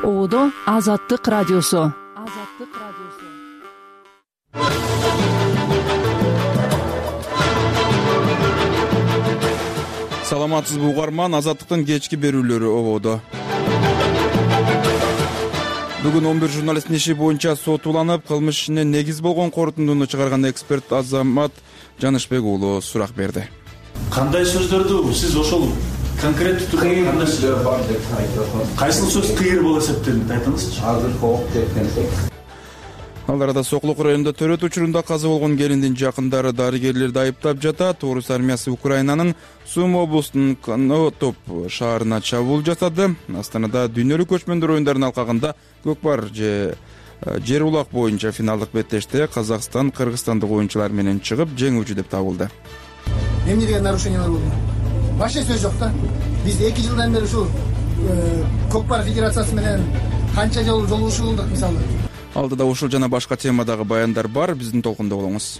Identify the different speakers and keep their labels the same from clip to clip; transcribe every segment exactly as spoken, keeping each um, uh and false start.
Speaker 1: Оодо Азаттык радиосу. Азаттык радиосу.
Speaker 2: Саламатсызбы угарман, Азаттыктын кечки берүүлөрү ободо. Бүгүн он бир журналисттин иши боюнча сот уланып, кылмыш ишине негиз болгон корутундуну чыгарган эксперт Азамат Жанышбек уулу сурак берди.
Speaker 3: Кандай сөздөрдү сиз ошол конкреттүү түрдө кандай сөздөр бар деп айтасыз? Кайсыл сөз кыйыр болуп эсептелет, айтыңызчы.
Speaker 4: Азыр кооп кеткенсек.
Speaker 2: Ал арада Сокулук районунда төрөт учурунда каза болгон келиндин жакындары дарыгерлерди айыптап жатат. Орус армиясы Украинанын Сум облусунун Конотоп шаарына чабуул жасады. Астанада дүйнөлүк көчмөндөр оюндарынын алкагында көкпар же жер улак боюнча финалдык беттеште Казакстан кыргызстандык оюнчулар менен чыгып жеңүүчү деп табылды.
Speaker 5: Эмне деген нарушениялар болду? Башка сөз жок да. Биз эки жылдан бери ушул көкпар федерациясы менен канча жолу жолугушуу кылдык мисалы.
Speaker 2: Алдыда ушул жана башка темадагы баяндар бар, биздин толкунда болуңуз.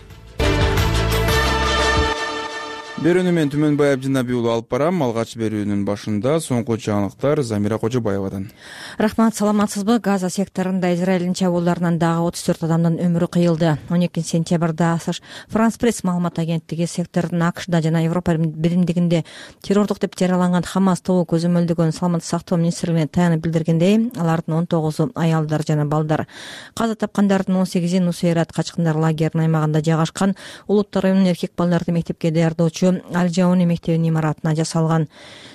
Speaker 2: Берүүнү мен Түмөнбай Абдинаби уулу алып барам. Алгач берүүнүн башында соңку жаңылыктар Замира Кожобаевадан.
Speaker 6: Рахмат, саламатсызбы? Газа секторунда Израилдин чабуулдарынан дагы отуз төрт адамдын өмүрү кыйылды. он экинчи сентябрда Франс Пресс маалымат агенттиги сектордун АКШда жана Европа биримдигинде террордук деп жарыяланган Хамас тобу көзөмөлдөгөн саламаттык сактоо министрлигине таянып билдиргендей, алардын он тогузу аялдар жана балдар. Каза тапкандардын он сегизи Нусейрат качкындар лагеринин аймагында жайгашкан Улуттар районунун эркек балдарды мектепке даярдоочу Аль-Жауни мектебинин имаратына жасалган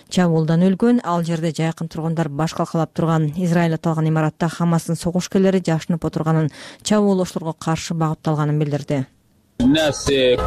Speaker 6: чабуулдан өлгөн. Ал жерде жакын тургундар баш калкалап турган. Израиль аталган имаратта Хамастын согушкерлери жашынып отурганын, чабуулоочуларга каршы багытталганын билдирди. Элдин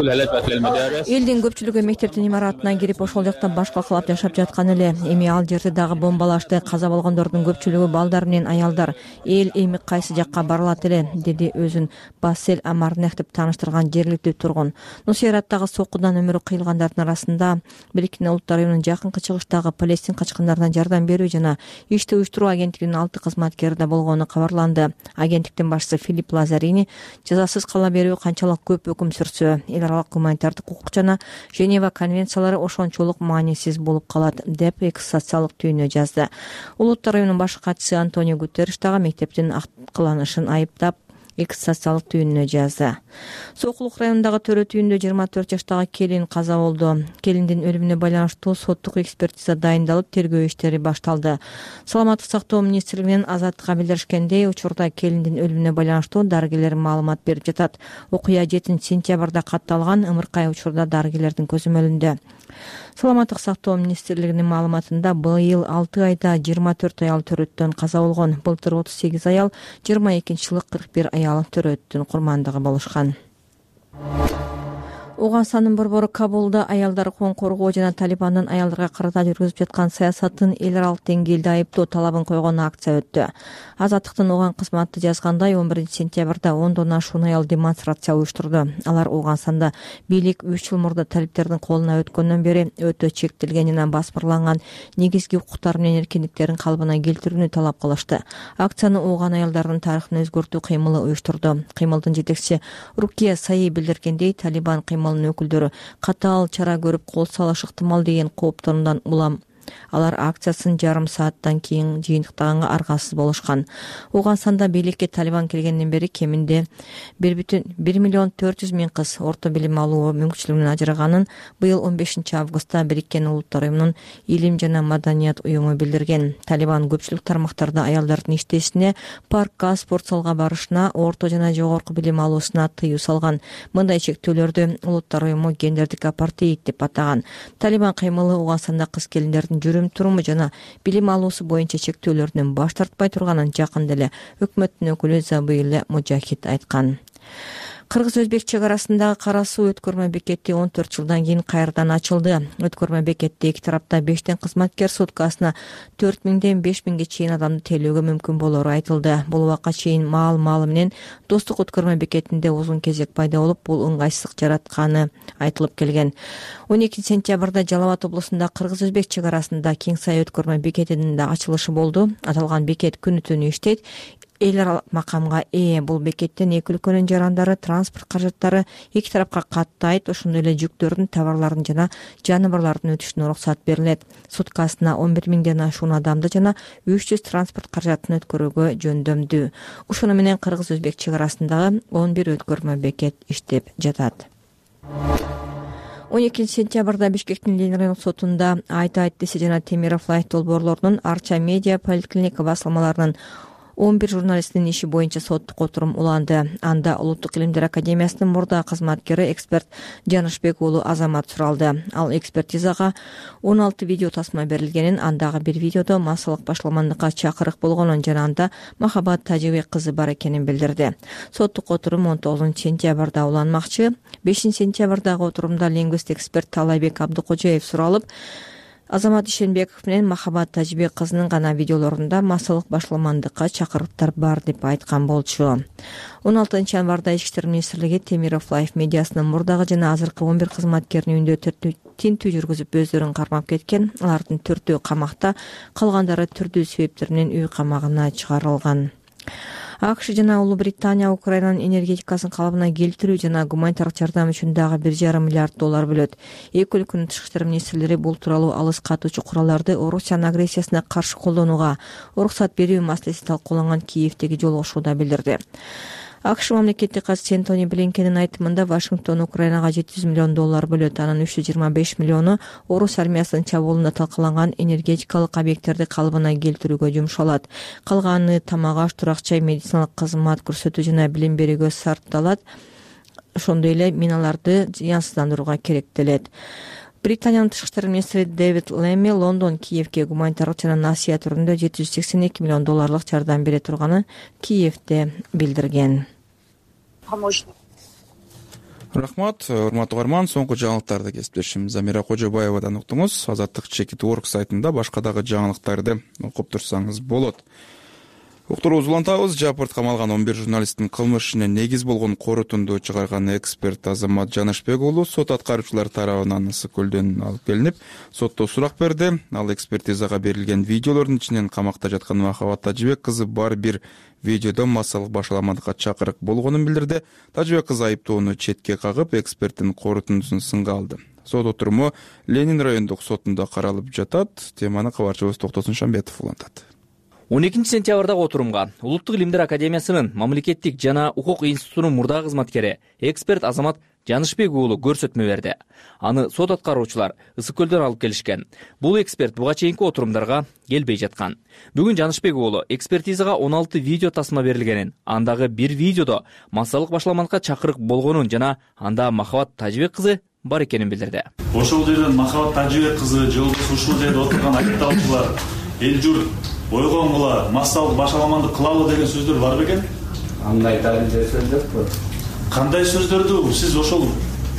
Speaker 6: көпчүлүгү мектептин имаратына кирип ошол жакта баш калкалап жашап жаткан эле. Эми ал жерде дагы бомбалашты. Каза болгондордун көпчүлүгү балдар менен аялдар. Эл эми кайсы жакка барылат эле, деди өзүн Бассель Амарнех деп тааныштырган жергиликтүү тургун. Нусейраттагы соккудан өмүрү кыйылгандардын арасында Бириккен Улуттар районунун жакынкы чыгыштагы Палестин качкындарына жардам берүү жана ишти уюштуруу агенттигинин алты кызматкери да болгону кабарланды. Агенттиктин башчысы Филипп Лазарини жазасыз кала берүү канчалык көп өкүм сүрсө, эл аралык гуманитардык укук жана Женева конвенциялары ошончолук маанисиз болуп калат деп экс социалдык түйүнү жазды. Улуттар районунун баш катчысы Антонио Гутерриш дагы мектептин акткыланышын айыптап экс социалдык түйүнүнө жазды. Сокулук районундагы төрөт үйүндө жыйырма төрт жаштагы келин каза болду. Келиндин өлүмүнө байланыштуу соттук экспертиза дайындалып, тергөө иштери башталды. Саламаттык сактоо министрлигинин Азаттыкка билдиришкендей, учурда келиндин өлүмүнө байланыштуу дарыгерлер маалымат берип жатат. Окуя жетинчи сентябрда катталган, ымыркай учурда дарыгерлердин көзөмөлүндө. Саламаттык сактоо министрлигинин маалыматында быйыл алты айда жыйырма төрт аял төрөттөн каза болгон. Былтыр отуз сегиз аял, жыйырма экинчи жылы кырк бир аял төрөттүн курмандыгы болушкан. Уганстандын борбору Кабулда аялдар укугун коргоо жана Талибандын аялдарга карата жүргүзүп жаткан саясатын эл аралык деңгээлде айыптоо талабын койгон акция өттү. Азаттыктын Уган кызматы жазгандай, он биринчи сентябрда ондон ашуун аял демонстрация уюштурду. Алар Уганстанда бийлик үч жыл мурда талиптердин колуна өткөндөн бери өтө чектелген жана басмырланган негизги укуктар менен эркиндиктерин калыбына келтирүүнү талап кылышты. Акцияны Уган аялдарынын тарыхын өзгөртүү кыймылы уюштурду. Кыймылдын жетекчиси Рукия Саи билдиргендей, Талибан кыймыл өкүлдөрү катаал чара көрүп кол салышы ыктымал деген кооптонудан улам алар акциясын жарым сааттан кийин жыйынтыктаганга аргасыз болушкан. Уганстанда бийликке Талибан келгенден бери кеминде бир миллион төрт жүз миң кыз орто билим алуу мүмкүнчүлүгүнөн ажыраганын быйыл он бешинчи августта Бириккен Улуттар районунун илим жана маданият уюму билдирген. Талибан көпчүлүк тармактарда аялдардын иштешине, паркка, спорт залга барышына, орто жана жогорку билим алуусуна тыюу салган. Мындай чектөөлөрдү Улуттар уюму гендердик апартеид деп атаган. Талибан кыймылы Уганстанда кыз келиндердин жүрүм-туруму жана билим алуусу боюнча чектөөлөрдөн баш тартпай турганын жакында эле өкмөттүн өкүлү Забыйлы Мужахид айткан. Кыргыз-Өзбек чек арасындагы Кара суу өткөрмө бекети он төрт жылдан кийин кайрадан ачылды. Өткөрмө бекетте эки тарапта бештен кызматкер суткасына төрт миңден беш миңге чейин адамды тейлөөгө мүмкүн болору айтылды. Бул убакка чейин маал-маалы менен Достук өткөрмө бекетинде узун кезек пайда болуп, бул ыңгайсыздык жаратканы айтылып келген. он экинчи сентябрда Жалал Абад облусунда Кыргыз-Өзбек чек арасында Кеңсай өткөрмө бекетинин да ачылышы болду. Аталган бекет күнү-түнү иштейт. эл макамга ээ. Бул бекеттен эки өлкөнүн жарандары, транспорт каражаттары эки тарапка каттайт, ошондой эле жүктөрдүн, товарлардын жана жаныбарлардын өтүшүнө уруксат берилет. Суткасына он бир миңден ашуун адамды жана үч жүз транспорт каражатын өткөрүүгө жөндөмдүү. Ошону менен кыргыз-өзбек чек арасындагы он бир өткөрмө бекет иштеп жатат. он экинчи сентябрда Бишкектин Ленин райондук сотунда Айта Айтдесе жана Темиров Лайф долбоорлорунун Арча медиа поликлиника басылмаларынын он бир журналисттин иши боюнча соттук отурум уланды. Анда Улуттук илимдер академиясынын мурдагы кызматкери эксперт Жанышбек уулу Азамат суралды. Ал экспертизага он алты видео тасма берилгенин, андагы бир видеодо массалык башаламандыкка чакырык болгонун жана анда Махабат Тажыбек кызы бар экенин билдирди. Соттук отурум он тогузунчу сентябрда уланмакчы. бешинчи сентябрдагы отурумда лингвист эксперт Талайбек Абдыкожоев суралып, Азамат Ишенбеков менен Махабат Тажыбек кызынын гана видеолорунда массалык башаламандыкка чакырыктар бар деп айткан болчу. он алтынчы январда Ички иштер министрлиги Темиров Лайф медиасынын мурдагы жана азыркы он бир кызматкеринин үйдө тинтүү жүргүзүп өздөрүн кармап кеткен. Алардын төртөө камакта, калгандары түрдүү себептер менен үй камагына чыгарылган. АКШ жана Улуу Британия Украинанын энергетикасын калыбына келтирүү жана гуманитардык жардам үчүн дагы бир жарым миллиард доллар бөлөт. Эки өлкөнүн тышкы иштер министрлери бул тууралуу алыс катуучу куралдарды Орусиянын агрессиясына каршы колдонууга уруксат берүү маселеси талкууланган Киевдеги жолугушууда билдирди. АКШ мамлекеттик катчысы Энтони Блинкендин айтымында Вашингтон Украинага жети жүз миллион доллар бөлөт. Анын үч жүз жыйырма беш миллиону Орус армиясынын чабуулунда талкаланган энергетикалык объекттерди калыбына келтирүүгө жумшалат. Калганы тамак аш, турак жай, медициналык кызмат көрсөтүү жана билим берүүгө сарпталат. Ошондой эле миналарды зыянсыздандырууга керектелет. Британиянын тышкы иштер министри Дэвид Лемми Лондон Киевге гуманитардык жана насыя түрүндө жети жүз сексен эки миллион долларлык жардам бере турганын Киевде билдирген.
Speaker 2: Рахмат, урматтуу угарман, соңку жаңылыктарды кесиптешим Замира Кожобаевадан уктуңуз. Азаттык чекит точка орг сайтында башка дагы жаңылыктарды окуп турсаңыз болот. Уктурубузду улантабыз. Жапырт камалган он бир журналисттин кылмыш ишине негиз болгон корутунду чыгарган эксперт Азамат Жанышбек уулу сот аткаруучулар тарабынан Ысык көлдөн алып келинип, сотто сурак берди. Ал экспертизага берилген видеолордун ичинен камакта жаткан Махабат Тажыбек кызы бар бир видеодо массалык башаламандыкка чакырык болгонун билдирди. Тажыбек кызы айыптоону четке кагып, эксперттин корутундусун сынга алды. Сот отуруму Ленин райондук сотунда каралып жатат. Теманы кабарчыбыз Токтосун Шамбетов улантат.
Speaker 4: он экинчи сентябрдагы отурумга Улуттук илимдер академиясынын мамлекеттик жана укук институтунун мурдагы кызматкери эксперт Азамат Жанышбек уулу көрсөтмө берди. Аны сот аткаруучулар Ысык көлдөн алып келишкен. Бул эксперт буга чейинки отурумдарга келбей жаткан. Бүгүн Жанышбек уулу экспертизага он алты видео тасма берилгенин, андагы бир видеодо массалык башаламандыкка чакырык болгонун жана анда Махабат Тажыбек кызы бар экенин билдирди.
Speaker 3: Ошол жерден Махабат Тажыбек кызы же ушул жерде отурган айыпталуучулар эл журт ойгонгула, массалык башаламандык кылалы деген сөздөр бар бекен?
Speaker 7: Андай далилдер сөздөр бар.
Speaker 3: Кандай сөздөрдү сиз ошол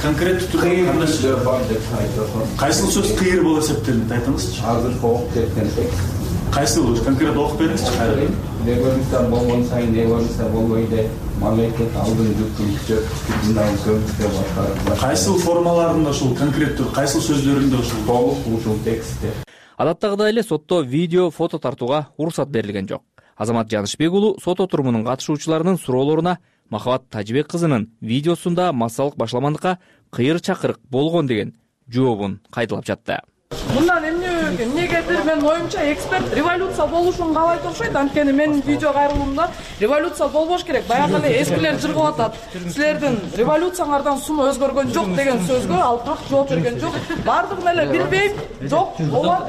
Speaker 3: конкреттүү түрдө кандай сөздөр
Speaker 7: бар деп айтасыз?
Speaker 3: Кайсыл сөз кыйыр болуп эсептелет, айтыңызчы.
Speaker 7: Азыр окуп кеткен текст.
Speaker 3: Кайсыл конкрет окуп бериңизчи кайра.
Speaker 7: Революция болгон сайын революция болбойт, мамлекет алдын жүктүн күчүнөн көмүккө башкарат.
Speaker 3: Кайсыл формаларында ушул конкреттүү, кайсыл сөздөрүндө ушул
Speaker 7: толук ушул текстте.
Speaker 4: Адаттагыдай эле сотто видео, фото тартууга уруксат берилген жок. Азамат Жанышбек уулу сот отурумунун катышуучуларынын суроолоруна Махабат Тажыбек кызынын видеосунда массалык башаламандыкка кыйыр чакырык болгон деген жообун кайталап жатты.
Speaker 8: Мындан эмне эмнегедир менин оюмча эксперт революция болушун каалайт окшойт. Анткени менин видео кайрылуумда революция болбош керек. Баягы эле эскилер жыргып атат. Силердин революцияңардан сумма өзгөргөн жок деген сөзгө ал так жооп берген жок. Бардыгын эле билбейм. Жок, болот.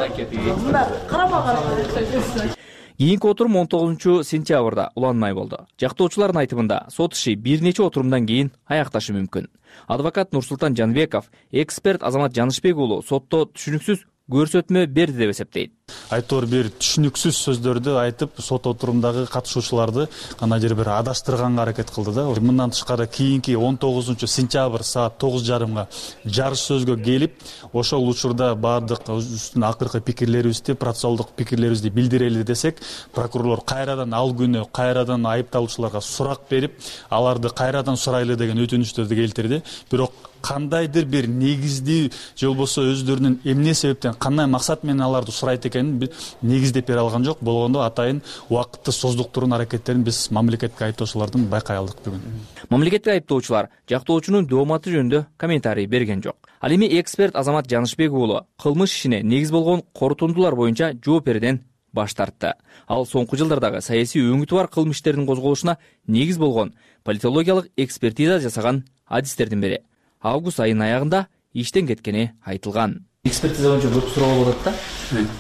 Speaker 8: Мына карама карама.
Speaker 4: Кийинки отурум он тогузунчу сентябрда уланмай болду. Жактоочулардын айтымында сот иши бир нече отурумдан кийин аякташы мүмкүн. Адвокат Нурсултан Жанбеков эксперт Азамат Жанышбек уулу сотто түшүнүксүз көрсөтмө берди деп эсептейт.
Speaker 9: Айтор бир түшүнүксүз сөздөрдү айтып, сот отурумдагы катышуучуларды кандай жер бир адаштырганга аракет кылды да. Мындан тышкары кийинки он тогузунчу сентябрь саат тогуз жарымга жарыш сөзгө келип, ошол учурда баардык үстүн акыркы пикирлерибизди, процессуалдык пикирлерибизди билдирели десек, прокурорлор кайрадан ал күнү кайрадан айыпталуучуларга сурак берип, аларды кайрадан сурайлы деген өтүнүчтөрдү келтирди. Бирок кандайдыр бир негиздүү же болбосо өздөрүнүн эмне себептен, кандай максат менен аларды сурайт экенин биз негиздеп бере алган жок. Болгондо атайын убакытты создуктурууну аракеттерин биз мамлекетке айыптоочулардан байкай алдык бүгүн.
Speaker 4: Мамлекетке айыптоочулар жактоочунун дооматы жөнүндө комментарий берген жок. Ал эми эксперт Азамат Жанышбек уулу кылмыш ишине негиз болгон корутундулар боюнча жооп берүүдөн баш тартты. Ал соңку жылдардагы саясий өңүтү бар кылмыштердин козголушуна негиз болгон политологиялык экспертиза жасаган адистердин бири. Август айынын аягында иштен кеткени айтылган. Экспертиза боюнча көп суроо болот да.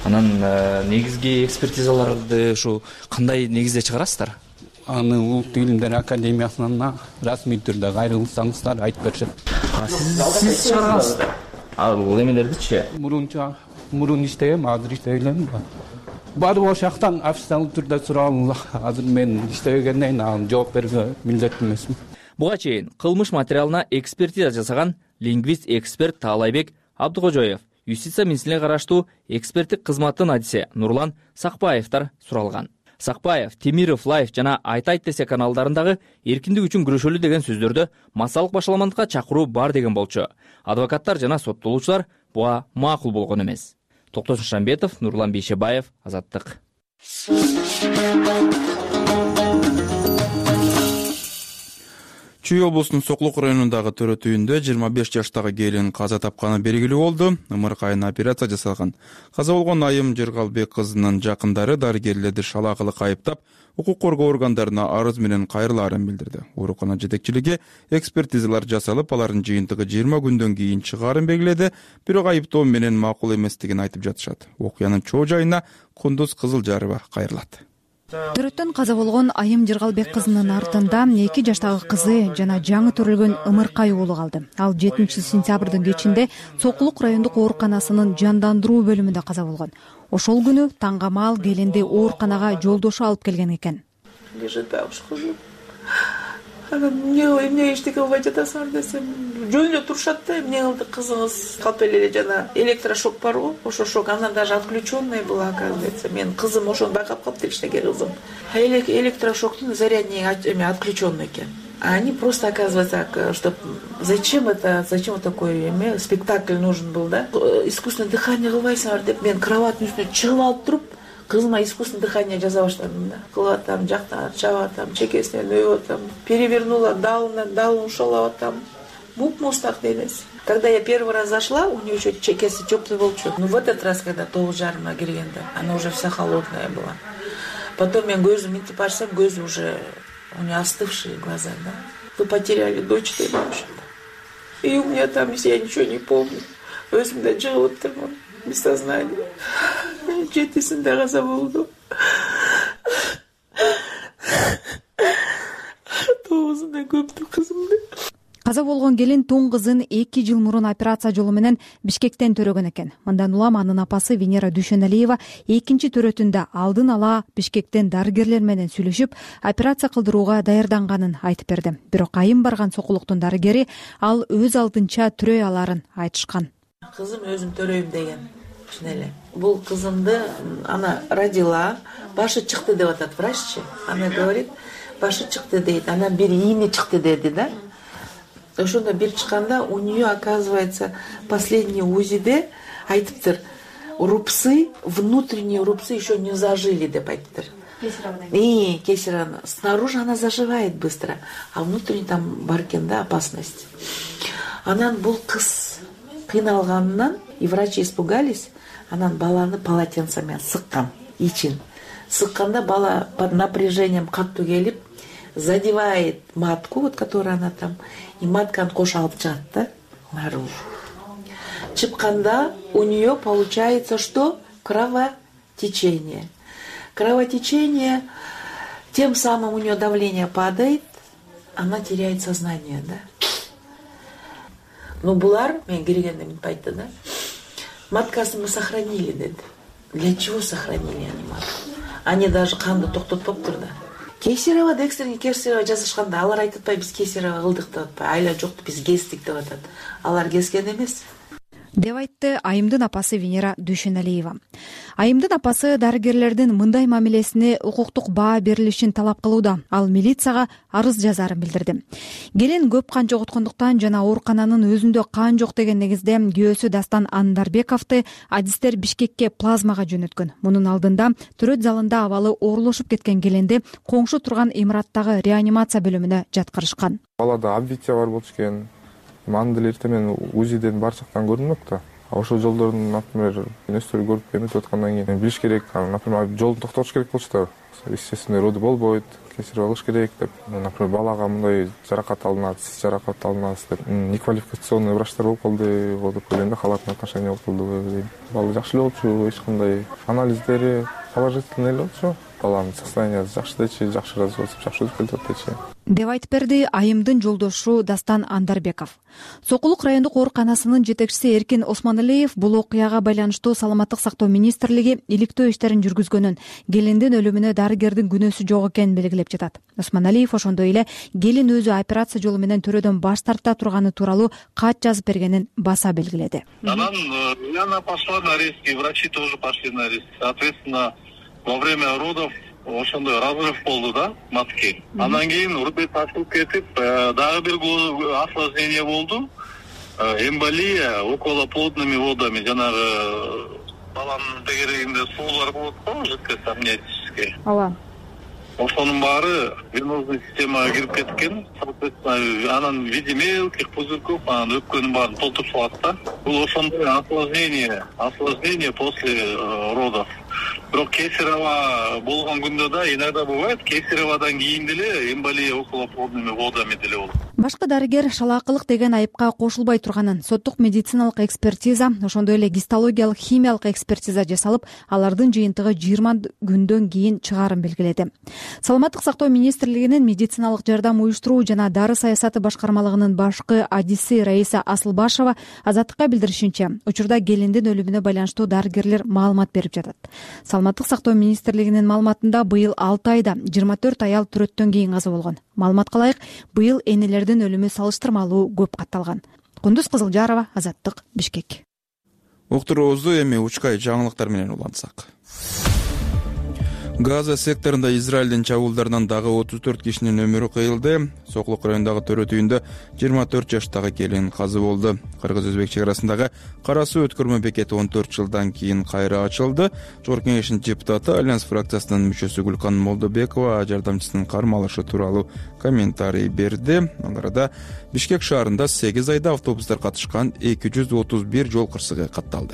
Speaker 4: Анан негизги экспертизаларды ушу кандай негизде чыгарасыздар?
Speaker 7: Аны Улуттук Илимдер Академиясынан расмий түрдө кайрылсаңыздар айтып беришет.
Speaker 4: Сиз чыгаргансыздар. Ал эмелердичи?
Speaker 7: Мурунча мурун иштегем, азыр иштебейм. Барып ошол жактан официалдуу түрдө суралым. Азыр мен иштебегенден кийин жооп берүүгө милдеттүү эмесмин.
Speaker 4: Буга чейин кылмыш материалына экспертиза жасаган лингвист эксперт Таалайбек Абдыкожоев, юстиция министрлигине караштуу эксперттик кызматтын адиси Нурлан Сакпаевдер суралган. Сакпаев, Темиров Лайф жана Айтайт десе каналдарындагы эркиндик үчүн күрөшөлү деген сөздөрдө массалык башаламандыкка чакыруу бар деген болчу. Адвокаттар жана соттолуучулар буга макул болгон эмес. Токтосун Шамбетов, Нурлан Бейшебаев, Азаттык.
Speaker 2: Чүй облусунун Соклук районундагы төрөт үйүндө жыйырма беш жаштагы келин каза тапканы белгилүү болду. Ымыркайына операция жасалган. Каза болгон Айым Жыргалбек кызынын жакындары дарыгерлерди шалаакылык айыптап, укук коргоо органдарына арыз менен кайрылаарын билдирди. Оорукана жетекчилиги экспертизалар жасалып, алардын жыйынтыгы жыйырма күндөн кийин чыгаарын белгиледи, бирок айыптоо менен макул эместигин айтып жатышат. Окуянын чоо жайына Кундуз Кызылжарова кайрылат.
Speaker 10: Төрөттөн каза болгон Айым Жыргалбек кызынын артында эки жаштагы кызы жана жаңы төрөлгөн Ымыркай уулу калды. Ал жетинчи сентябрдын кечинде Соклук райондук ооруканасынын жандандыруу бөлүмүндө каза болгон. Ошол күнү таңга маал келинди ооруканага жолдошу алып келген экен.
Speaker 11: Лежит бабушка. Ана эмне эмне эчтеке кылбай жатасыңар десем, жөнүндө турушат да, эмне кылды кызыңыз калп эле жана электрошок бар го, ошо шок, анан даже отключенный была, оказывается. Мен кызым ошону байкап калыптыр, кичинекей кызым. Электрошоктун зарядный отключенный экен. А они просто, оказывается, что зачем это, зачем вот такой эме, спектакль нужен был, да? Искусственное дыхание кылбайсыңар деп, мен кроваттын үстүнө чыгып алып туруп, кызыма искусственное дыхание жаса баштадым да. Кылып атам, жактан чабып атам, чекесинен өбүп атам, перевернула, далынан далын ушалап атам. Муп-мустак денеси. Когда я первый раз зашла, у нее еще чекеси теплый болчу. Ну в этот раз, когда тогуз жарымга киргенде, она уже вся холодная была. Потом я көзүм мынтип ачсам, көзү уже у нее остывшие глаза, да. Вы потеряли дочь, ты вообще. И у меня там, я ничего не помню. Өзүмдө жыгып отурмун, без сознания. Жетисинде каза болду. Тогузунда көптү кызымды.
Speaker 10: Каза болгон келин тоң кызын эки жыл мурун операция жолу менен Бишкектен төрөгөн экен. Мындан улам анын апасы Венера Дүйшөналиева экинчи төрөтүндө алдын ала Бишкектен дарыгерлер менен сүйлөшүп, операция кылдырууга даярданганын айтып берди. Бирок Айым барган Сокулуктун дарыгери ал өз алдынча төрөй аларын айтышкан.
Speaker 11: Кызым өзүм төрөйм деген. Эле. Бул кызымды она родила, башы чыкты деп атат враччы. Она говорит, башы чыкты дейт. Она бир ийне чыкты деди, да? Ошондо бир чыкканда у нее, оказывается, последний УЗИде айтыптыр, рубцы, внутренние рубцы еще не зажили деп айтыптыр. И кесарево. Снаружи она заживает быстро, а внутренне там бар экен да опасность. Анан бул кыз кыйналганынан и врачи испугались. Анан баланы полотенцами сыккан, ичин. Сыкканда бала под напряжением каттуу келип, задевает матку, вот которая она там, и матканы кош алып чыгат да, наружу. Чыкканда у нее получается что? Кровотечение. Кровотечение, тем самым у нее давление падает, она теряет сознание, да. Ну, булар, мен киргенде мынтип айтты, да. Маткасын мы сохранили, деди. Для чего сохранили они матку? Они даже канды токтотпоптур да. Кесарево, экстренный кесарево жасашканда алар айтып атпайбы, биз кесарево кылдык деп атпайбы, айла жок, биз кестик деп атат. Алар кескен эмес.
Speaker 10: деп айтты Айымдын апасы Венера Дүйшөналиева. Айымдын апасы дарыгерлердин мындай мамилесине укуктук баа берилишин талап кылууда. Ал милицияга арыз жазаарын билдирди. Келин көп кан жоготкондуктан жана оорукананын өзүндө кан жок деген негизде күйөөсү Дастан Андарбековду адистер Бишкекке плазмага жөнөткөн. Мунун алдында төрөт залында абалы оорулушуп кеткен келинди коңшу турган имараттагы реанимация бөлүмүнө жаткырышкан.
Speaker 12: Балада обвития бар болчу экен. Аны деле эртемен УЗИден бар жактан көрүнмөк да. Ошол жолдордун, например, нерселери көрүп эметип аткандан кийин билиш керек, например, жолду токтотуш керек болчу да. Естественно, роды болбойт, кесарево кылыш керек деп. Например, балага мындай жаракат алынат, сиз жаракат алынасыз деп. Неквалификационный врачтар болуп калды, вот деп ойлойм да, халатный отношение болуп калды. Бала жакшы эле болчу, эч кандай анализдери положительный эле болчу. Баланын состояниясы жакшы дечи, жакшы развиваться, жакшы өтүп келатат дечи.
Speaker 10: Деп айтып берди Айымдын жолдошу Дастан Андарбеков. Сокулук райондук ооруканасынын жетекчиси Эркин Осмоналиев бул окуяга байланыштуу Саламаттык сактоо министрлиги иликтөө иштерин жүргүзгөнүн, келиндин өлүмүнө дарыгердин күнөөсү жок экенин белгилеп жатат. Осмоналиев ошондой эле келин өзү операция жолу менен төрөдөн баш тарта турганы тууралуу кат жазып бергенин баса белгиледи.
Speaker 13: Анан Яна пошла на риск, и врачи тоже пошли на риск. Соответственно, во время родов ошондой разрыв болду да, матки. Андан кийин урбет ачылып кетип, дагы бир осложнение болду. Эмболия околоплодными водами, жанагы баланын тегерегинде суулар болот го, жидкость амниотический.
Speaker 10: Ооба.
Speaker 13: Ошонун баары венозный системага кирип кеткен. Соответственно, анан в виде мелких пузырьков, анан өпкөнүн баарын толтуруп салат да. Бул ошондой осложнение, осложнение после родов. Бирок кесарево болгон күндө да иногда бывает, кесареводан кийин деле эмболия околоплодными водами деле болот.
Speaker 10: Башкы дарыгер шалаакылык деген айыпка кошулбай турганын, соттук медициналык экспертиза, ошондой эле гистологиялык химиялык экспертиза жасалып, алардын жыйынтыгы жыйырма күндөн кийин чыгаарын белгиледи. Саламаттык сактоо министрлигинин медициналык жардам уюштуруу жана дары саясаты башкармалыгынын башкы адиси Раиса Асылбашева Азаттыкка билдиришинче, учурда келиндин өлүмүнө байланыштуу дарыгерлер маалымат берип жатат. Саламаттык сактоо министрлигинин маалыматында быйыл алты айда жыйырма төрт аял төрөттөн кийин каза болгон. Маалыматка ылайык, быйыл энелердин өлүмү салыштырмалуу көп катталган. Кундуз Кызылжарова, Азаттык, Бишкек.
Speaker 2: Уктуруубузду эми учкай жаңылыктар менен улантсак. Газа секторунда Израилдин чабуулдарынан дагы отуз төрт кишинин өмүрү кыйылды. Сокулук районундагы төрөт үйүндө жыйырма төрт жаштагы келин каза болду. Кыргыз-өзбек чек арасындагы Кара суу өткөрмө бекети он төрт жылдан кийин кайра ачылды. Жогорку кеңештин депутаты, Альянс фракциясынын мүчөсү Гүлкан Молдобекова жардамчысынын кармалышы тууралуу комментарий берди. Ал арада Бишкек шаарында сегиз айда автобустар катышкан эки жүз отуз бир жол кырсыгы катталды.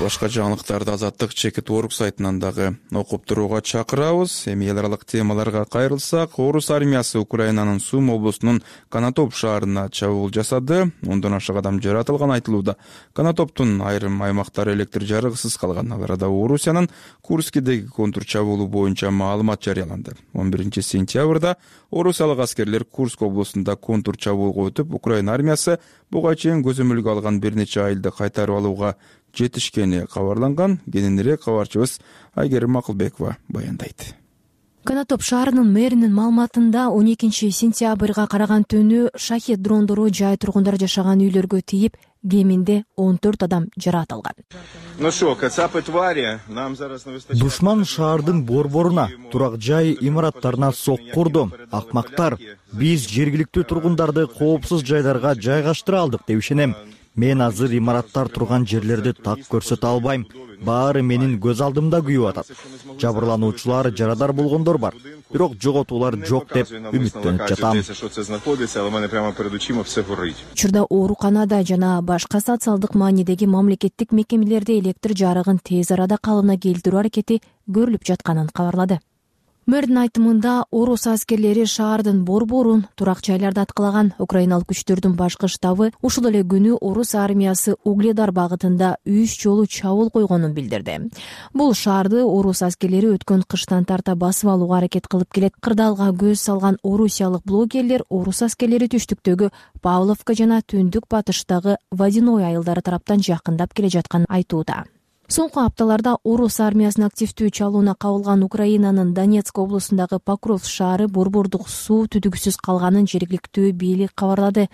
Speaker 2: Башка жаңылыктарды Азаттык чекит орг сайтынан дагы окуп турууга чакырабыз. Эми эл аралык темаларга кайрылсак, Орус армиясы Украинанын Сум облусунун Канатоп шаарына чабуул жасады. Ондон ашык адам жаратылган айтылууда. Канатоптун айрым аймактары электр жарыгысыз калган. Ал арада Орусиянын Курскидеги контур чабуулу боюнча маалымат жарыяланды. он биринчи сентябрда орусиялык аскерлер Курск облусунда контур чабуулга өтүп, Украина армиясы буга чейин көзөмөлгө алган бир нече айылды кайтарып алууга жетишкени кабарланган. Кененирээк кабарчыбыз Айгерим Макылбекова баяндайт.
Speaker 14: Канатоп шаарынын мэринин маалыматында он экинчи сентябрга караган түнү шахет дрондору жай тургундар жашаган үйлөргө тийип, кеминде он төрт адам жаратылган.
Speaker 15: Душман шаардын борборуна, турак жай имараттарына соккурду. Акмактар, биз жергиликтүү тургундарды коопсуз жайларга жайгаштыра алдык деп ишенем. Мен азыр имараттар турган жерлерди так көрсөтө албайм. Баары менин көз алдымда күйүп атат. Жабырлануучулар жарадар болгондор бар. Бирок жоготуулар жок деп үмүттөнүп жатам.
Speaker 14: Учурда ооруканада жана башка социалдык маанидеги мамлекеттик мекемелерде электр жарыгын тез арада калыбына келтирүү аракети көрүлүп жатканын кабарлады. Мэрдин айтымында орус аскерлери шаардын борборун, турак жайларды аткалаган. Украиналык күчтөрдүн башкы штабы ушул эле күнү орус армиясы Угледар багытында үч жолу чабуул койгонун билдирди. Бул шаарды орус аскерлери өткөн кыштан тарта басып алууга аракет кылып келет. Кырдаалга көз салган орусиялык блогерлер орус аскерлери түштүктөгү Павловка жана түндүк батыштагы Водяной айылдары тараптан жакындап келе жатканын айтууда. Соңку апталарда орус армиясынын активдүү чалууна кабылган Украинанын Донецк облусундагы Покровск шаары борбордук суу түтүгүсүз калганын жергиликтүү бийлик кабарлады.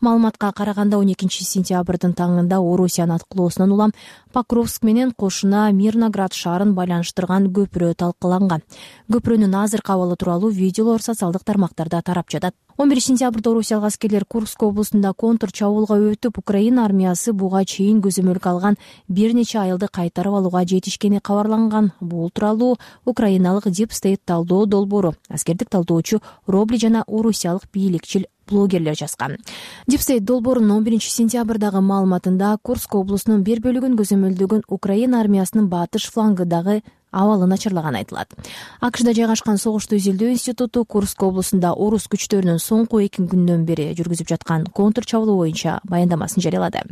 Speaker 14: Маалыматка караганда он экинчи сентябрдын таңында Орусиянын аткылоосунан улам Покровск менен кошуна Мирноград шаарын байланыштырган көпүрө талкаланган. Көпүрөнүн азыркы абалы тууралуу видеолор социалдык тармактарда тарап жатат. он биринчи сентябрда орусиялык аскерлер Курск облусунда контр чабуулга өтүп, Украина армиясы буга чейин көзөмөлгө алган бир нече айылды кайтарып алууга жетишкени кабарланган. Бул тууралуу украиналык Deep State талдоо долбоору, аскердик талдоочу Робли жана орусиялык бийликчил блогерлер жазган. Deep State долбоорунун он биринчи сентябрдагы маалыматында Курск облусунун бир бөлүгүн көзөмөлдөгөн Украина армиясынын батыш флангыдагы абалы начарлаганы айтылат. АКШда жайгашкан согушту изилдөө институту Курск облусунда орус күчтөрүнүн соңку эки күндөн бери жүргүзүп жаткан контр чабуулоо боюнча баяндамасын жарыялады.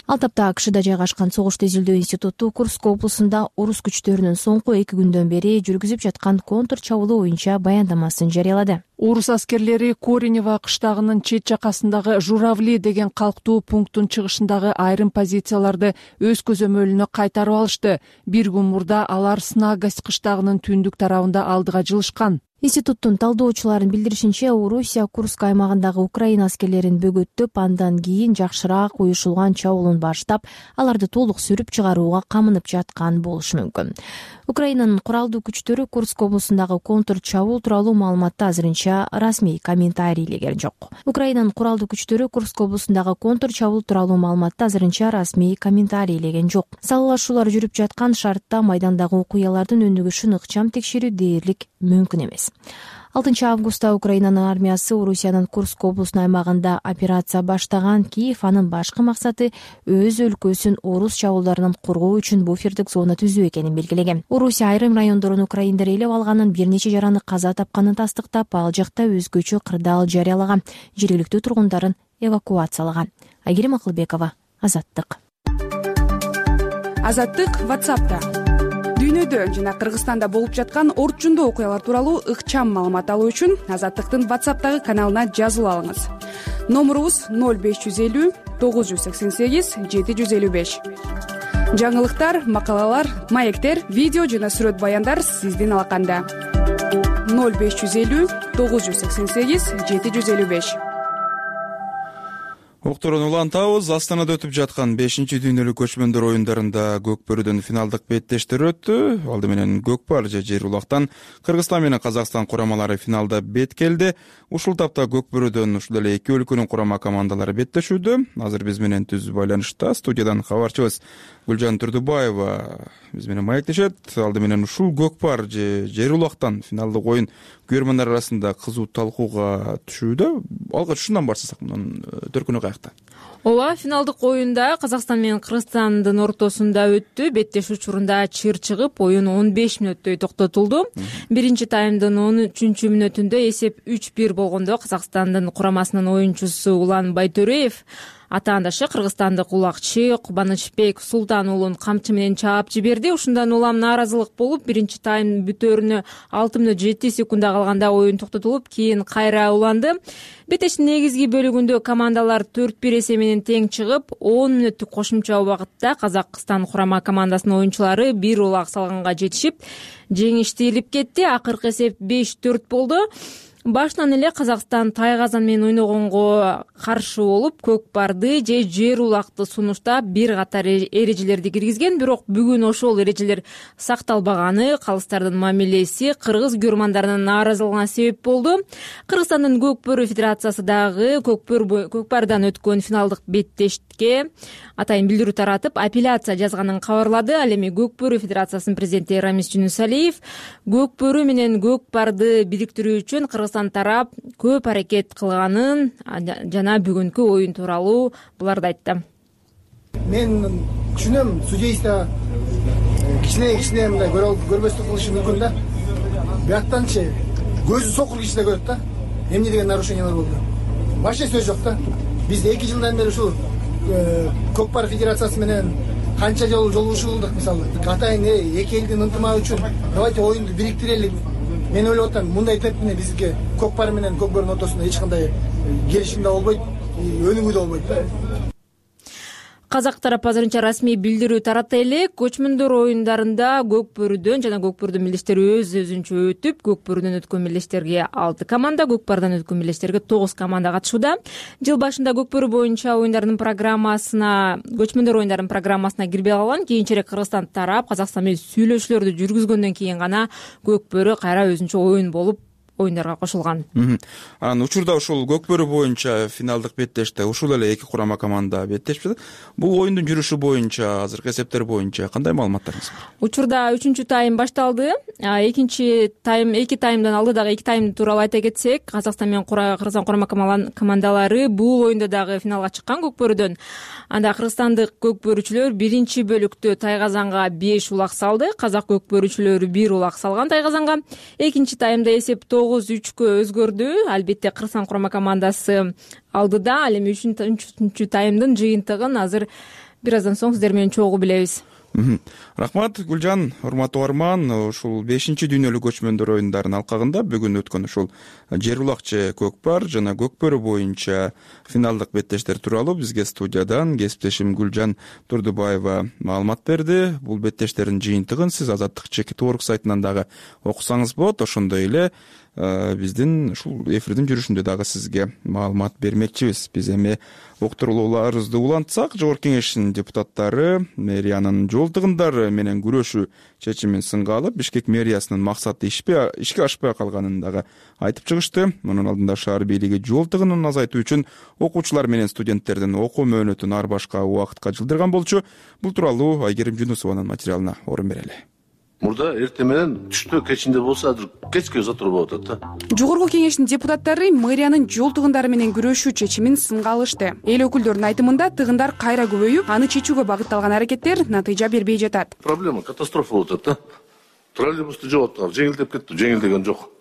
Speaker 14: Ал тапта АКШда жайгашкан согушту изилдөө институту Курск облусунда орус күчтөрүнүн соңку эки күндөн бери жүргүзүп жаткан контр чабуулоо боюнча баяндамасын жарыялады.
Speaker 1: Орус аскерлери Коренево кыштагынын чет жакасындагы Журавли деген калктуу пункттун чыгышындагы айрым позицияларды өз көзөмөлүнө кайтарып алышты. Бир күн мурда алар Снагость кыштагынын түндүк тарабында алдыга жылышкан.
Speaker 14: Институттун талдоочуларынын билдиришинче, Орусия Курск аймагындагы Украина аскерлерин бөгөттөп, андан кийин жакшыраак уюшулган чабуулун баштап, аларды толук сүрүп чыгарууга камынып жаткан болушу мүмкүн. Украинанын куралдуу күчтөрү Курск облусундагы контр чабуул тууралуу маалыматты азырынча расмий комментарийлеген жок. Украинанын куралдуу күчтөрү Курск облусундагы контр чабуул тууралуу маалыматты азырынча расмий комментарийлеген жок. Салгылашуулар жүрүп жаткан шартта майдандагы окуялардын өнүгүшүн ыкчам текшерүү дээрлик мүмкүн эмес. алтынчы августта Украинанын армиясы Орусиянын Курск облусунун аймагында операция баштаган. Киев анын башкы максаты өз өлкөсүн орус чабуулдарынан коргоо үчүн буфердик зона түзүү экенин белгилеген. Орусия айрым райондорун украиндар ээлеп алганын, бир нече жараны каза тапканын тастыктап, ал жакта өзгөчө кырдаал жарыялаган, жергиликтүү тургундарын эвакуациялаган. Айгерим Акылбекова, Азаттык.
Speaker 16: Азаттык WhatsApp'та. Дүйнөдө жана Кыргызстанда болуп жаткан орчундуу окуялар тууралуу ыкчам маалымат алуу үчүн Азаттыктын WhatsApp'тагы каналына жазылып алыңыз. Номурубуз ноль беш жүз элүү тогуз жүз сексен сегиз жети жүз элүү беш. Жаңылыктар, макалалар, маектер, видео жана сүрөт баяндар сиздин алаканда. ноль беш жүз элүү тогуз жүз сексен сегиз жети жүз элүү беш.
Speaker 2: Окторун улантабыз. Астанада өтүп жаткан бешинчи дүйнөлүк көчмөндөр оюндарында көкбөрүдөн финалдык беттештер өттү. Алды менен көкпар же жер улактан Кыргызстан менен Казакстан курамалары финалда бет келди. Ушул тапта көкбөрүдөн ушул эле эки өлкөнүн курама командалары беттешүүдө. Азыр биз менен түз байланышта студиядан кабарчыбыз Гүлжан Турдубаева биз менен маектешет. Алды менен ушул көкпар же жер улактан финалдык оюн көрөрмандар арасында кызуу талкууга түшүүдө. Алгач ушундан баштасак, мунун төркүнү каякта?
Speaker 17: Ооба, финалдык оюнда Казакстан менен Кыргызстандын ортосунда өттү. Беттеш учурунда чыр чыгып, оюн он беш мүнөттөй токтотулду. Биринчи таймдын он үчүнчү мүнөтүндө эсеп үч бир болгондо Казакстандын курамасынын оюнчусу Улан Байтөреев атаандашы кыргызстандык улакчы Кубанычбек Султан уулун камчы менен чаап жиберди. Ушундан улам нааразылык болуп, биринчи тайм бүтөөрүнө алты мүнөт жети секунда калганда оюн токтотулуп, кийин кайра уланды. Беттештин негизги бөлүгүндө командалар төрт бир эсеби менен тең чыгып, он мүнөттүк кошумча убакытта Казакстан курама командасынын оюнчулары бир улак салганга жетишип, жеңишти илип кетти. Акыркы эсеп беш төрт болду. Башынан эле Казакстан тайгазан менен ойногонго каршы болуп, көкпарды же жер улакты сунуштап бир катар эрежелерди киргизген, бирок бүгүн ошол эрежелер сакталбаганы калыстардын мамилеси кыргыз көрөрмандарынын нааразылыгына себеп болду. Кыргызстандын көкпөр федерациясы дагы көкпөр көкпардан өткөн финалдык беттешке атайын билдирүү таратып, апелляция жазганын кабарлады. Ал эми көкпөр федерациясынын президенти Рамис Жунусалиев көкпөрү менен көкпарды бириктирүү үчүн Кыргызстан тарап көп аракет кылганын жана бүгүнкү оюн тууралуу буларды айтты.
Speaker 5: Мен түшүнөм, судейство кичине кичине мындай көрбөстүк кылышы мүмкүн да. Бияктанчы көзү сокур киши да көрөт да. Эмне деген нарушениялар болду? Вообще сөз жок да. Биз эки жылдан бери ушул көкпар федерациясы менен канча жолу жолугушуулдук, мисалы. Атайын эки элдин ынтымагы үчүн давайте оюнду бириктирели. Мен ойлоп атам, мындай темпте бизге көкпар менен көкбөрүнүн ортосунда эч кандай келишим да болбойт, өнүгүү да болбойт да.
Speaker 17: казак тарап азырынча расмий билдирүү таратты элек. Көчмөндөр оюндарында көк бөрүдөн жана көк бөрүдүн мелдештери өз өзүнчө өтүп, көк бөрүдөн өткөн мелдештерге алты команда, көк бардан өткөн мелдештерге тогуз команда катышууда. Жыл башында көк бөрү боюнча оюндардын программасына, көчмөндөр оюндарынын программасына кирбей калган. Кийинчерээк Кыргызстан тарап Казакстан менен сүйлөшүүлөрдү жүргүзгөндөн кийин гана көк бөрү кайра өзүнчө оюн болуп оюндарга кошулган.
Speaker 2: Анан учурда ушул көк бөрү боюнча финалдык беттеште ушул эле эки курама команда беттешип жатат. Бул оюндун жүрүшү боюнча, азыркы эсептер боюнча кандай маалыматтарыңыз бар?
Speaker 17: Учурда үчүнчү тайм башталды. Экинчи тайм, эки таймдан алды дагы эки тайм тууралуу айта кетсек, Казакстан менен Кыргызстан курама командалары бул оюнда дагы финалга чыккан көк бөрүдөн. Анда кыргызстандык көк бөрүчүлөр биринчи бөлүктө Тайгазанга беш улак салды. Казак көк бөрүчүлөрү бир улак салган Тайгазанга. Экинчи таймда эсеп тогуз үчкө өзгөрдү. Албетте Кыргызстан курама командасы алдыда. Ал эми үчүнчү таймдын жыйынтыгын азыр бир аздан соң сиздер менен чогуу билебиз.
Speaker 2: Рахмат Гүлжан, урматтуу угарман. Ушул бешинчи дүйнөлүк көчмөндөр оюндарынын алкагында бүгүн өткөн ушул жер улак же көк бар жана көк бөрү боюнча финалдык беттештер тууралуу бизге студиядан кесиптешим Гүлжан Турдубаева маалымат берди. Бул беттештердин жыйынтыгын сиз Азаттык чекит орг сайтынан дагы окусаңыз болот. Ошондой эле биздин ушул эфирдин жүрүшүндө дагы сизге маалымат бермекчибиз. Биз эми уктурууларыбызды улантсак, Жогорку Кеңештин депутаттары мэриянын жол тыгындары менен күрөшүү чечимин сынга алып, Бишкек мэриясынын максаты ишке ашпай калганын дагы айтып чыгышты. Мунун алдында шаар бийлиги жол тыгынын азайтуу үчүн окуучулар менен студенттердин окуу мөөнөтүн ар башка убакытка жылдырган болчу. Бул тууралуу Айгерим Жунусованын материалына орун берели.
Speaker 18: Мурда эртең менен түштө кечинде болсо азыр кечке затыр болуп атат да.
Speaker 16: Жогорку Кеңештин депутаттары мэриянын жол тыгындары менен күрөшүү чечимин сынга алышты. Эл өкүлдөрүнүн айтымында тыгындар кайра көбөйүп, аны чечүүгө багытталган аракеттер натыйжа бербей жатат.
Speaker 18: Проблема, катастрофа болуп атат да. Троллейбусту жоголттук, жеңилдеп кетти, жеңилдеген жок.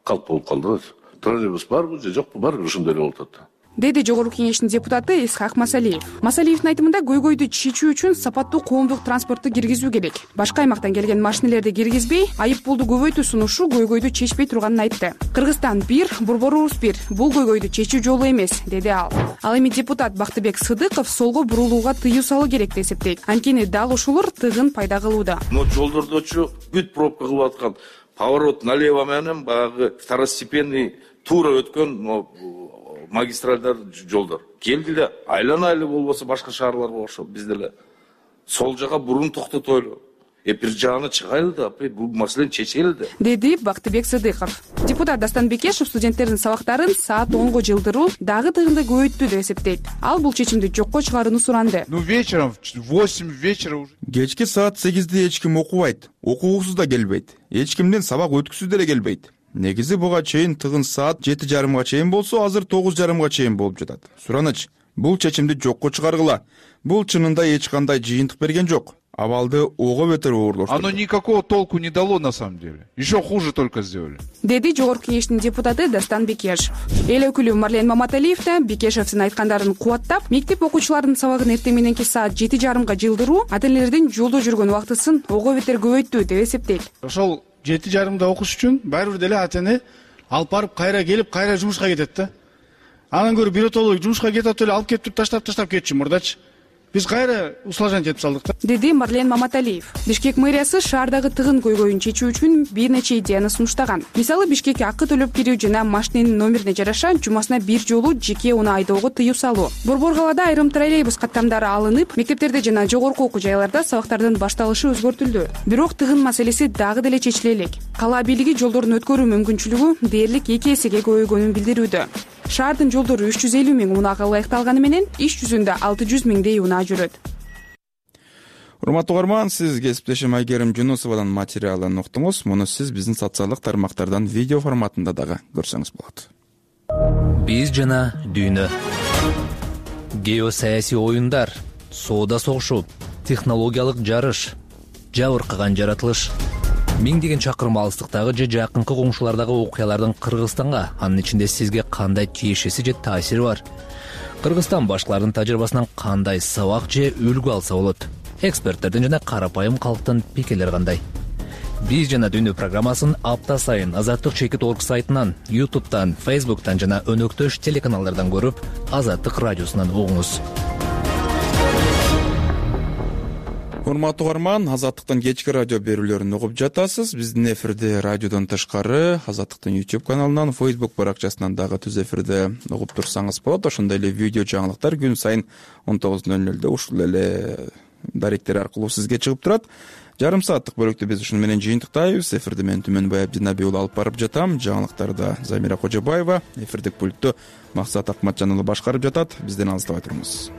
Speaker 18: Калп болуп калды. Троллейбус барбы же жокпу, барбы ошондой эле болуп атат.
Speaker 16: Деди Жогорку Кеңештин депутаты Исхак Масалиев. Масалиевдин айтымында көйгөйдү чечүү үчүн сапаттуу коомдук транспортту киргизүү керек. Башка аймактан келген машинелерди киргизбей, айып пулду көбөйтүү сунушу көйгөйдү чечпей турганын айтты. Кыргызстан бир, Борборубуз бир. Бул көйгөйдү чечүү жолу эмес, деди ал. Ал эми депутат Бактыбек Сыдыков солго бурулууга тыюу салуу керек деп эсептейт. Анткени дал ушулар тыгын пайда кылууда.
Speaker 18: Но жолдордочу бүт пробка кылып аткан поворот налево менен баягы второстепенный туура өткөн магистралдар жолдор келди эле айлана эле болбосо башка шаарларга окшоп биз деле сол жака бурун токтотойлу, э бир жагына чыгайлы да, бул маселени чечели да, деди
Speaker 16: Бактыбек Сыдыков. Депутат Дастан Бекешев студенттердин сабактарын саат онго жылдыруу дагы тыгынды көбөйттү деп эсептейт. Ал бул чечимди жокко чыгарууну суранды.
Speaker 19: Ну вечером в восемь вечера уже
Speaker 2: кечки саат сегизде эч ким окубайт, окугусуз да келбейт, эч кимден сабак өткүзүү деле келбейт. Негизи буга чейин тыгын саат жети жарымга чейин болсо, азыр тогуз жарымга чейин болуп жатат. Сураныч, бул чечимди жокко чыгаргыла. Бул чынында эч кандай жыйынтык берген жок. Абалды ого бетер оорлоштурду.
Speaker 19: Оно никакого толку не дало на самом деле. Еще хуже только сделали.
Speaker 16: Деди Жогорку Кеңештин депутаты Дастан Бекешев. Эл өкүлү Марлен Маматалиев да Бекешевдин айткандарын кубаттап, мектеп окуучуларынын сабагын эртең мененки саат жети жарымга жылдыруу ата-энелердин жолдо жүргөн убактысын ого бетер көбөйттү деп эсептейт.
Speaker 20: Ошол жети жарымда окуш үчүн баары бир деле ата-эне алып барып кайра келип, кайра жумушка кетет да. Анан көрүп биротолуу жумушка кетип эле алып келип туруп таштап таштап кетчү мурдачы. Биз кайра усложнять этип салдык да, деди
Speaker 16: Марлен Маматалиев. Бишкек мэриясы шаардагы тыгын көйгөйүн чечүү үчүн бир нече идеяны сунуштаган. Мисалы, Бишкекке акы төлөп кирүү жана машиненин номерине жараша жумасына бир жолу жеке унаа айдоого тыюу салуу. Борбор калаада айрым троллейбус каттамдары алынып, мектептерде жана жогорку окуу жайларда сабактардын башталышы өзгөртүлдү. Бирок тыгын маселеси дагы деле чечиле элек. Кала бийлиги жолдордун өткөрүү мүмкүнчүлүгү дээрлик эки эсеге көбөйгөнүн билдирүүдө. Шаардын жолдору үч жүз элүү миң унаага ылайыкталганы менен иш жүзүндө алты жүз миңдей унаа жүрөт.
Speaker 2: Урматтуу угарман, сиз кесиптешим Айгерим Жунусованын материалын уктуңуз. Муну сиз биздин социалдык тармактардан видео форматында дагы көрсөңүз болот.
Speaker 21: Биз жана дүйнө. Геосаясий оюндар, соода согушу, технологиялык жарыш, жабыркаган жаратылыш. Миңдеген чакырым алыстыктагы же жакынкы коңшулардагы окуялардын Кыргызстанга, анын ичинде сизге кандай тиешеси же таасири бар? Кыргызстан башкалардын тажрыйбасынан кандай сабак же үлгү алса болот? Эксперттердин жана карапайым калктын пикирлери кандай? Биз жана дүйнө программасын апта сайын Азаттык чекит орг сайтынан, ютубтан, фейсбуктан жана өнөктөш телеканалдардан көрүп, Азаттык радиосунан угуңуз.
Speaker 2: урматтуу угарман, Азаттыктын кечки радио берүүлөрүн угуп жатасыз. Биздин эфирди радиодон тышкары Азаттыктын YouTube каналынан, Facebook баракчасынан дагы түз эфирде угуп турсаңыз болот. Ошондой эле видео жаңылыктар күн сайын он тогуз ноль нолдо ушул эле даректер аркылуу сизге чыгып турат. Жарым сааттык бөлүктү биз ушуну менен жыйынтыктайбыз. Эфирди мен Түмөнбай Абдинабий уулу алып барып жатам. Жаңылыктарда Замира Кожобаева, эфирдик пультту Максат Акматжан уулу башкарып жатат. Бизден алыстабай туруңуз.